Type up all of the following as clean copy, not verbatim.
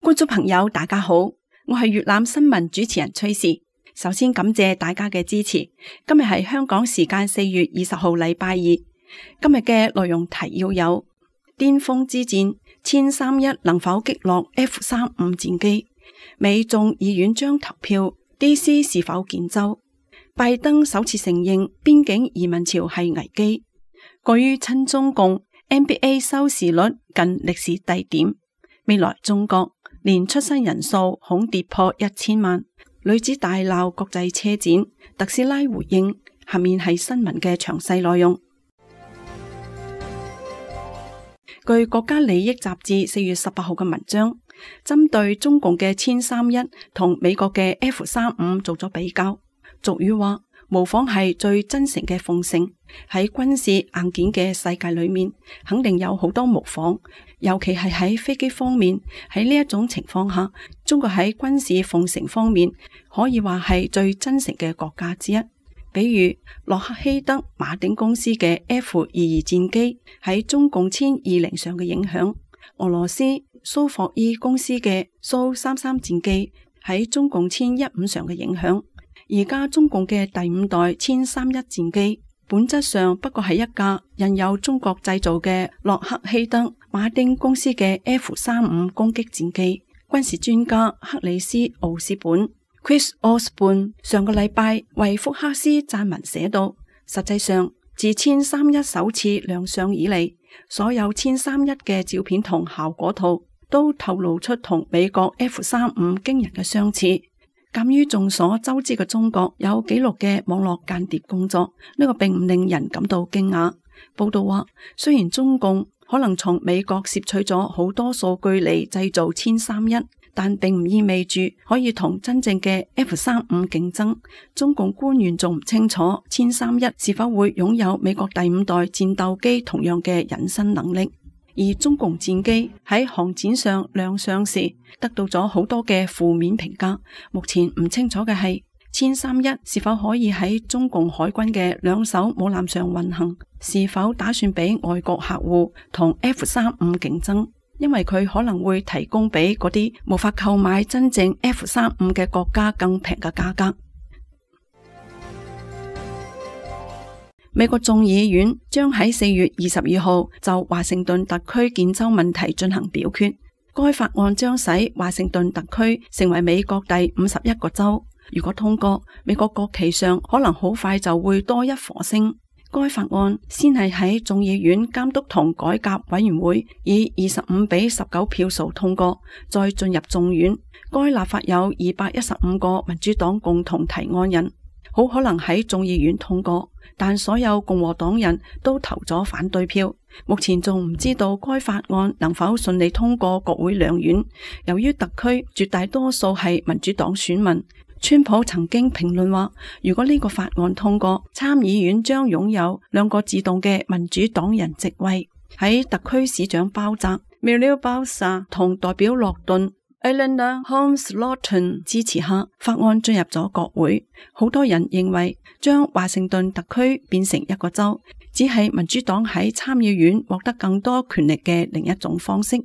觀眾朋友大家好，我係粵覽新聞主持人崔氏。首先感謝大家嘅支持。今日係香港時間4月20號禮拜二。今日嘅內容提要有：巔峰之戰，殲31能否擊落 F-35戰機？美眾議院將投票 DC 是否建州？拜登首次承認邊境移民潮係危機。過於親中共 NBA 收視率近歷史低點。未來中國年出生人數恐跌破1000萬。女子大鬧國際車展，特斯拉回應。下面係新聞嘅詳細內容。據國家利益雜誌4月18號嘅文章，針對中共嘅殲31同美國嘅 F-35做咗比較。俗語話，模仿係最真誠嘅奉承。喺軍事硬件嘅世界裏面，肯定有好多模仿，尤其係喺飛機方面。喺呢一種情況下，中國喺軍事奉承方面可以話係最真誠嘅國家之一。比如洛克希德馬丁公司嘅 F-22戰機喺中共殲20上嘅影響，俄羅斯蘇霍伊公司嘅蘇33戰機喺中共殲15上嘅影響。而家中共嘅第5代殲31戰機本質上不過係一架印有中國製造嘅洛克希德馬丁公司嘅 F-35攻擊戰機。軍事專家克里斯奧斯本 Chris Osborne 上個禮拜為福克斯撰文寫道，實際上自殲31首次亮相以嚟，所有殲31嘅照片同效果圖都透露出同美國 F-35驚人嘅相似。鑒於眾所周知嘅中國有紀錄嘅網絡間諜工作，呢個並唔令人感到驚訝。報道話，雖然中共可能從美國攝取咗好多數據嚟製造殲31，但並唔意味住可以同真正嘅 F-35競爭。中共官員仲唔清楚殲31是否會擁有美國第5代戰鬥機同樣嘅隱身能力。而中共戰機喺航展上亮相時，得到咗好多嘅負面評價。目前唔清楚嘅係殲31是否可以喺中共海軍嘅2艘母艦上運行，是否打算俾外國客戶同 F-35競爭，因為佢可能會提供俾嗰啲無法購買真正 F-35嘅國家更平嘅價格。美國眾議院將喺4月22號就華盛頓特區建州問題進行表決。該法案將使華盛頓特區成為美國第51個州。如果通過，美國國旗上可能好快就會多一顆星。該法案先係喺眾議院監督同改革委員會以25-19票數通過，再進入眾院。該立法有215個民主黨共同提案人，好可能喺眾議院通過，但所有共和黨人都投咗反對票。目前仲唔知道該法案能否順利通過國會兩院。由於特區絕大多數係民主黨選民，川普曾經評論話，如果呢個法案通過，參議院將擁有2個自動嘅民主黨人席位。喺特區市長鮑澤 Muriel Bowser 同代表洛頓Eleanor Holmes Norton 支持下，法案進入咗國會。好多人認為將華盛頓特區變成一個州，只係民主黨喺參議院獲得更多權力嘅另一種方式。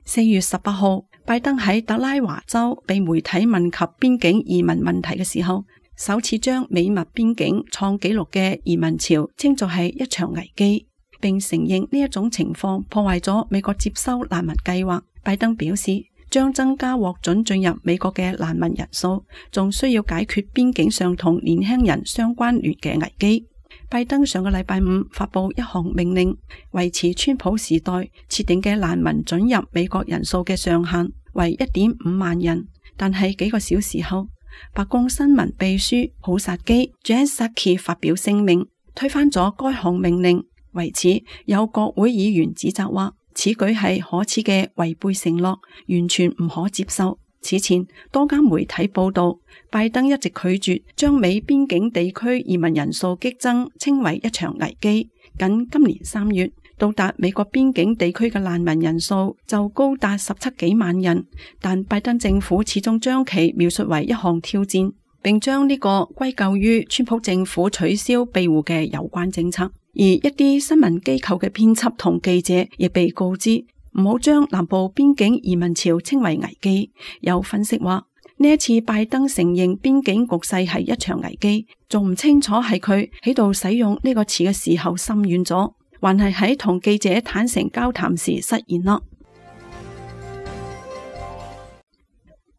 4月18號，拜登喺特拉華州被媒體問及邊境移民問題嘅時候，首次將美墨邊境創紀錄嘅移民潮稱作係一場危機，並承認呢一種情況破壞咗美國接收難民計劃。拜登表示，將增加獲准進入美國嘅難民人數，仲需要解決邊境上同年輕人相關聯嘅危機。拜登上個禮拜5發佈一項命令，維持川普時代設定嘅難民准入美國人數嘅上限為 1.5 萬人，但係幾個小時後，白宮新聞秘書普薩基 Jen Psaki 發表聲明，推翻咗該項命令。為此，有國會議員指責話，此舉係可恥嘅違背承諾，完全唔可接受。此前，多間媒體報道，拜登一直拒絕將美邊境地區移民人數激增稱為一場危機。僅今年3月，到達美國邊境地區嘅難民人數就高達17幾萬人，但拜登政府始終將其描述為一項挑戰，並將呢個歸咎於川普政府取消庇護嘅有關政策。而一啲新聞機構嘅編輯同記者亦被告知唔好將南部邊境移民潮稱為危機。有分析話，呢一次拜登承認邊境局勢係一場危機，仲唔清楚係佢喺度使用呢個詞嘅時候心軟咗，還係喺同記者坦誠交談時失言啦。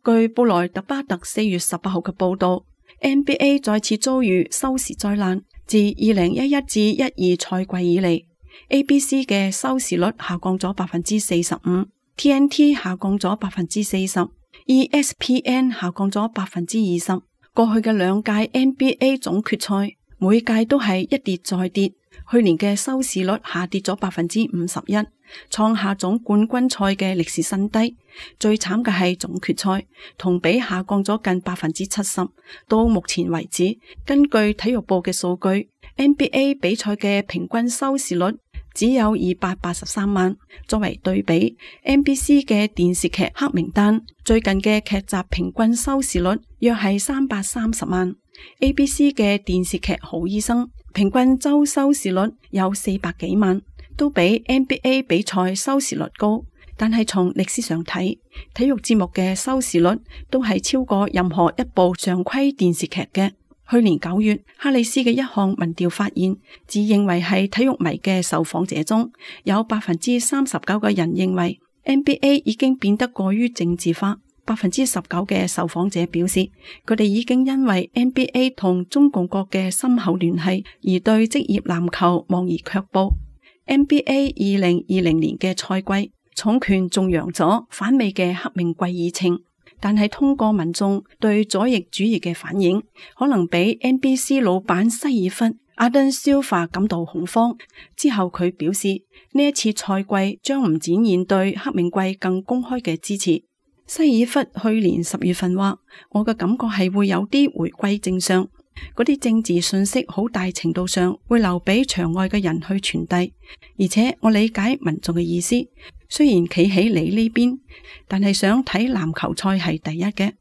據布萊特巴特4月18號嘅報道， NBA 再次遭遇收視災難。自2011至12賽季以嚟， ABC 嘅收視率下降咗 45%， TNT 下降咗 40%， ESPN 下降咗 20%。 過去嘅兩屆 NBA 總決賽，每屆都係一跌再跌，去年嘅收視率下跌咗 51%， 創下總冠軍賽嘅歷史新低。最慘嘅係總決賽，同比下降咗近 70%。 到目前為止，根據體育部嘅數據， NBA 比賽嘅平均收視率只有283萬。作為對比， NBC 嘅電視劇黑名單最近嘅劇集平均收視率約係330萬。 ABC 嘅電視劇好醫生平均周收視率有400幾萬，都比 NBA 比賽收視率高。但係從歷史上睇，體育節目嘅收視率都係超過任何一部常規電視劇嘅。去年9月，哈里斯嘅一項民調發現，自認為係體育迷嘅受訪者中，有 39% 嘅人認為 NBA 已經變得過於政治化。 19% 嘅受訪者表示，佢哋已經因為 NBA 同中共國嘅深厚聯繫而對職業籃球望而卻步。NBA 2020年嘅賽季，重拳仲揚咗反美嘅黑命貴議程，但係通過民眾對左翼主義嘅反應，可能比 NBC 老闆西爾弗阿登消化感到恐慌。之後佢表示，呢一次賽季將唔展現對黑命貴更公開嘅支持。西爾弗去年10月份話，我嘅感覺係會有啲回歸正常，嗰啲政治信息好大程度上會留俾場外嘅人去傳遞，而且我理解民眾嘅意思，雖然企喺你呢邊，但係想睇籃球賽係第一嘅。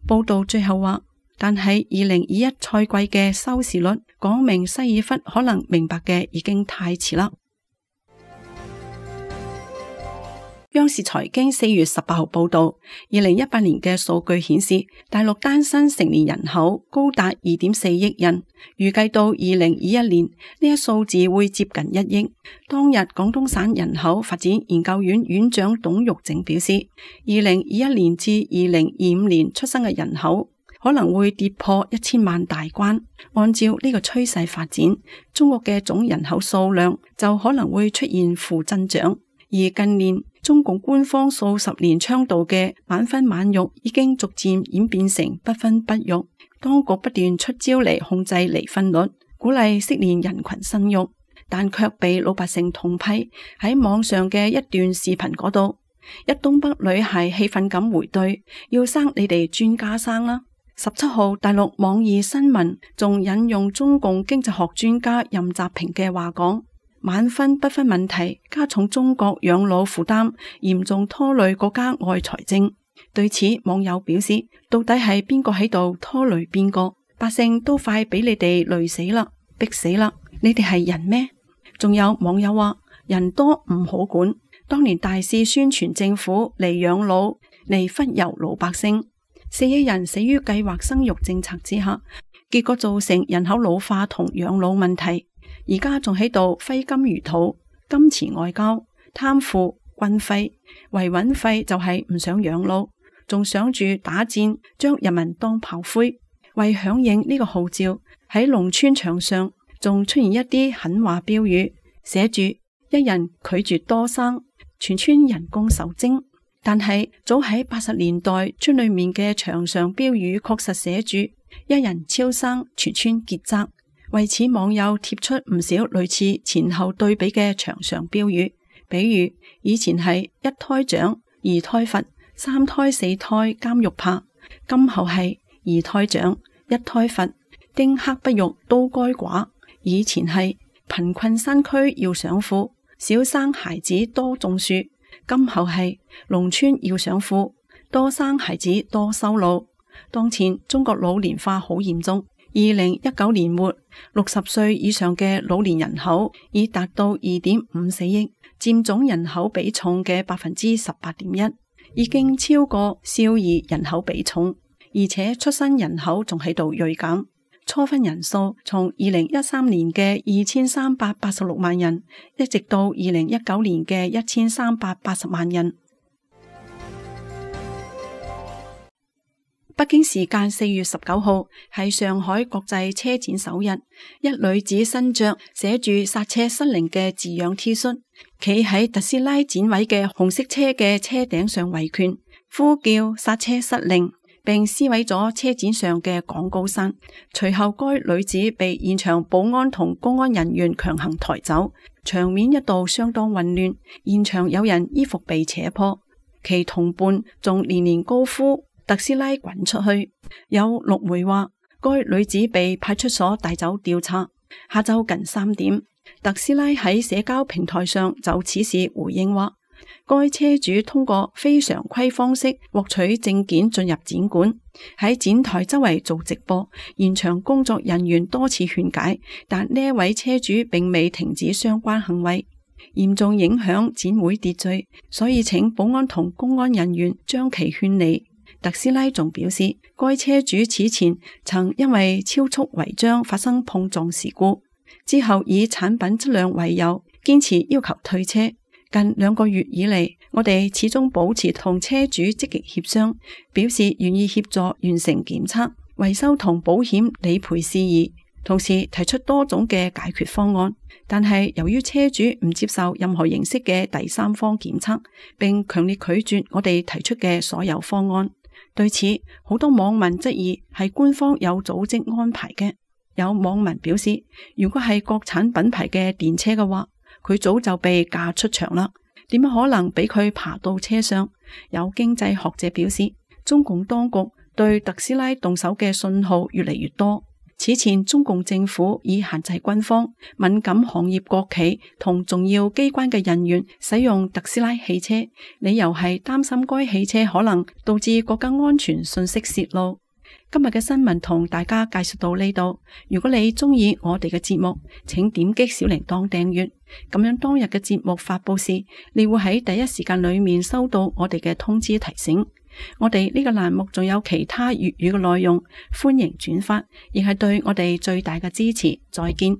報道最後話，但係2021賽季嘅收視率講明西爾弗可能明白嘅已經太遲啦。央視財經4月18號報道，2018年嘅數據顯示，大陸單身成年人口高達 2.4 億人，預計到2021年呢一數字會接近1億。當日廣東省人口發展研究院院長董玉靜表示，2021年至2025年出生嘅人口可能會跌破1000萬大關。按照呢個趨勢發展，中國嘅總人口數量就可能會出現負增長。而近年中共官方數十年倡導嘅晚婚晚育已經逐漸演變成不婚不育，當局不斷出招嚟控制離婚率，鼓勵適齡人群生育，但卻被老百姓痛批。喺網上嘅一段視頻嗰度，一東北女孩氣憤咁回對，要生你哋專家生啦。17號大陸網易新聞仲引用中共經濟學專家任澤平嘅話講，晚婚不婚問題加重中國養老負擔，嚴重拖累國家外財政。對此，網友表示，到底係邊個喺度拖累邊個？百姓都快俾你哋累死啦，逼死啦！你哋係人咩？仲有網友話，人多唔好管，當年大肆宣傳政府嚟養老，嚟忽悠老百姓，4億人死於計劃生育政策之下，結果造成人口老化同養老問題。而家仲喺度揮金如土，金錢外交、貪腐、軍費、維穩費就係唔想養老，仲想住打戰，將人民當炮灰。為響應呢個號召，喺農村牆上仲出現一啲狠話標語，寫住一人拒絕多生，全村人工受精。但係早喺80年代，村裏面嘅牆上標語確實寫住一人超生，全村結紮。為此，網友貼出唔少類似前後對比嘅牆上標語，比如以前係一胎獎、二胎罰、三胎四胎監獄怕，今後係二胎獎、一胎罰、丁克不育都該寡。以前係貧困山區要賞富，少生孩子多種樹，今後係農村要賞富，多生孩子多收老。當前中國老年化好嚴重。2019年末，60歲以上嘅老年人口已達到2.54億，佔總人口比重嘅18.1%，已經超過少兒人口比重，而且出生人口仲喺度銳減。初婚人數從2013年嘅2386萬人，一直到2019年嘅1380萬人。北京時間4月19號係上海國際車展首日，一女子身着寫住剎車失靈嘅字樣 T 恤，企喺特斯拉展位嘅紅色車嘅車頂上維權，呼叫剎車失靈，並撕毀咗車展上嘅廣告傘。隨後該女子被現場保安同公安人員強行抬走，場面一度相當混亂，現場有人衣服被扯破，其同伴仲連連高呼特斯拉滾出去。有陸媒話，該女子被派出所帶走調查。下晝近3點，特斯拉喺社交平台上就此事回應話，該車主通過非常規方式獲取證件進入展館，喺展台周圍做直播，現場工作人員多次勸解，但呢一位車主並未停止相關行為，嚴重影響展會秩序，所以請保安同公安人員將其勸離。特斯拉仲表示，該車主此前曾因為超速違章發生碰撞事故，之後以產品質量為由堅持要求退車。近2個月以嚟，我哋始終保持同車主積極協商，表示願意協助完成檢測、維修同保險理賠事宜，同時提出多種嘅解決方案。但係由於車主唔接受任何形式嘅第三方檢測，並強烈拒絕我哋提出嘅所有方案。對此，好多網民質疑係官方有組織安排嘅。有網民表示，如果係國產品牌嘅電車嘅話，佢早就被架出場啦，點可能俾佢爬到車上？有經濟學者表示，中共當局對特斯拉動手嘅信號越嚟越多。此前，中共政府已限制軍方、敏感行業國企同重要機關嘅人員使用特斯拉汽車，理由係擔心該汽車可能導致國家安全信息洩露。今日嘅新聞同大家介紹到呢度。如果你鍾意我哋嘅節目，請點擊小鈴鐺訂閱，咁樣當日嘅節目發佈時，你會喺第一時間裏面收到我哋嘅通知提醒。我哋呢個欄目仲有其他粵語嘅內容，歡迎轉發，亦係對我哋最大嘅支持。再見。